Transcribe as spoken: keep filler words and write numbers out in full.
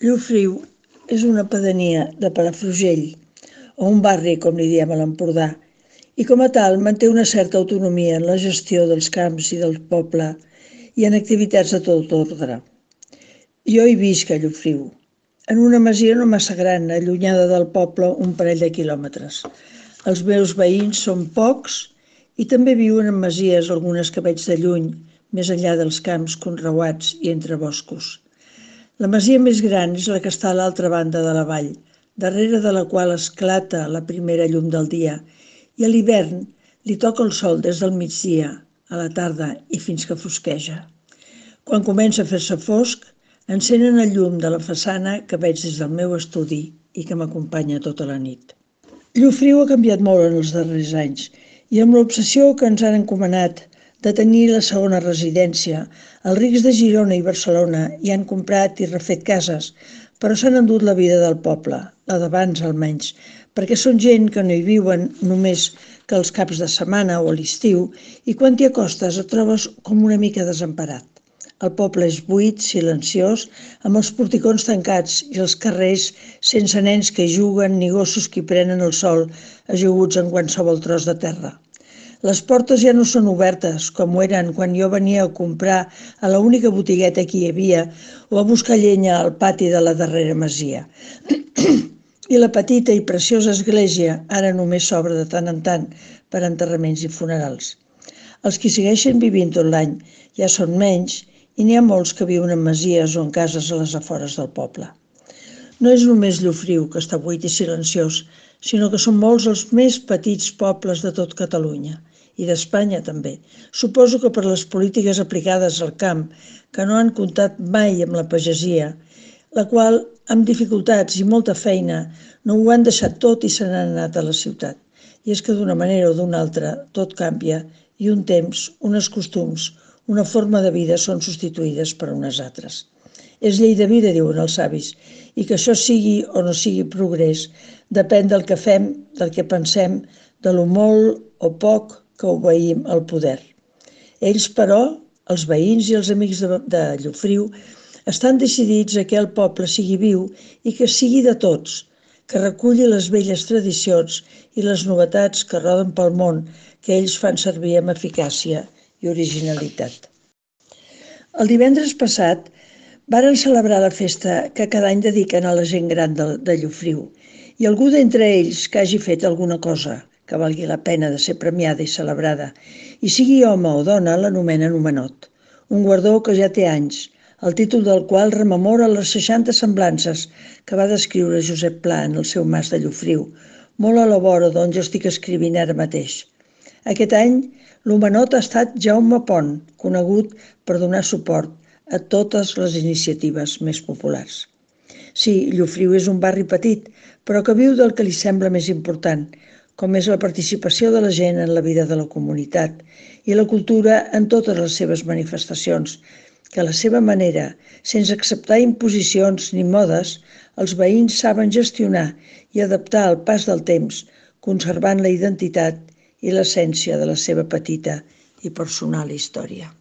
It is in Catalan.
Llofriu és una pedania de Palafrugell, o un barri, com li diem a l'Empordà, i com a tal manté una certa autonomia en la gestió dels camps i del poble i en activitats de tot ordre. Jo hi visc a Llofriu, en una masia no massa gran, allunyada del poble un parell de quilòmetres. Els meus veïns són pocs i també viuen en masies, algunes que veig de lluny, més enllà dels camps conreuats i entre boscos. La masia més gran és la que està a l'altra banda de la vall, darrere de la qual esclata la primera llum del dia, i a l'hivern li toca el sol des del migdia, a la tarda i fins que fosqueja. Quan comença a fer-se fosc, encenen el llum de la façana que veig des del meu estudi i que m'acompanya tota la nit. Llofriu ha canviat molt en els darrers anys i amb l'obsessió que ens han encomanat de tenir la segona residència, els rics de Girona i Barcelona hi han comprat i refet cases, però s'han endut la vida del poble, la d'abans almenys, perquè són gent que no hi viuen només que els caps de setmana o a l'estiu i quan t'hi acostes et trobes com una mica desemparat. El poble és buit, silenciós, amb els porticons tancats i els carrers sense nens que hi juguen ni gossos que hi prenen el sol ajaguts en qualsevol tros de terra. Les portes ja no són obertes, com ho eren quan jo venia a comprar a l'única botigueta que hi havia o a buscar llenya al pati de la darrera masia. I la petita i preciosa església ara només s'obre de tant en tant per enterraments i funerals. Els que segueixen vivint tot l'any ja són menys i n'hi ha molts que viuen en masies o en cases a les afores del poble. No és només Llofriu, que està buit i silenciós, sinó que són molts els més petits pobles de tot Catalunya. I d'Espanya també. Suposo que per les polítiques aplicades al camp, que no han comptat mai amb la pagesia, la qual, amb dificultats i molta feina, no ho han deixat tot i se n'han anat a la ciutat. I és que d'una manera o d'una altra tot canvia i un temps, unes costums, una forma de vida són substituïdes per unes altres. És llei de vida, diuen els savis, i que això sigui o no sigui progrés depèn del que fem, del que pensem, de lo molt o poc que obeïm al poder. Ells, però, els veïns i els amics de, de Llofriu, estan decidits a que el poble sigui viu i que sigui de tots, que reculli les velles tradicions i les novetats que roden pel món que ells fan servir amb eficàcia i originalitat. El divendres passat varen celebrar la festa que cada any dediquen a la gent gran de, de Llofriu i algú d'entre ells que hagi fet alguna cosa que valgui la pena de ser premiada i celebrada, i sigui home o dona, l'anomenen homenot, un guardó que ja té anys, el títol del qual rememora les seixanta semblances que va descriure Josep Pla en el seu Mas de Llofriu, molt a la vora d'on jo estic escrivint ara mateix. Aquest any, l'homenot ha estat Jaume Pont, conegut per donar suport a totes les iniciatives més populars. Sí, Llofriu és un barri petit, però que viu del que li sembla més important, com és la participació de la gent en la vida de la comunitat i la cultura en totes les seves manifestacions, que a la seva manera, sense acceptar imposicions ni modes, els veïns saben gestionar i adaptar al pas del temps, conservant la identitat i l'essència de la seva petita i personal història.